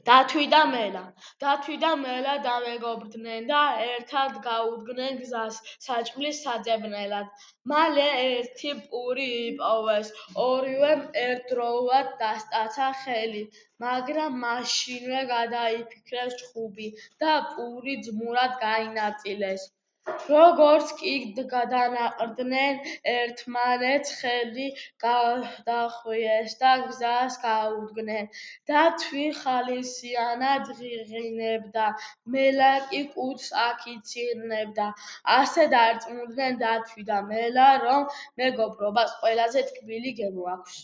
დათვი და მელა დამეგობრდნენ და ერთად გაუდგნენ გზას საჭმლის საძებნელად. მალე ერთი პური იპოვეს, ორივემ ერთდროულად დასტაცა ხელი, მაგრამ მაშინვე გადაიფიქრეს ჩხუბი და პური ძმურად გაინაწილეს. როგორც კი დანაყრდნენ, ერთმანეთს ხელი გადახვიეს და გზას გაუდგნენ. დათვი ხალისიანად ღიღინებდა, მელა კი კუდს აქ-იქ იცირნებდა. ასე დარწმუნდნენ დათვი და მელა, რომ მეგობრობას ყველაზე ტკბილი გემო აქვს.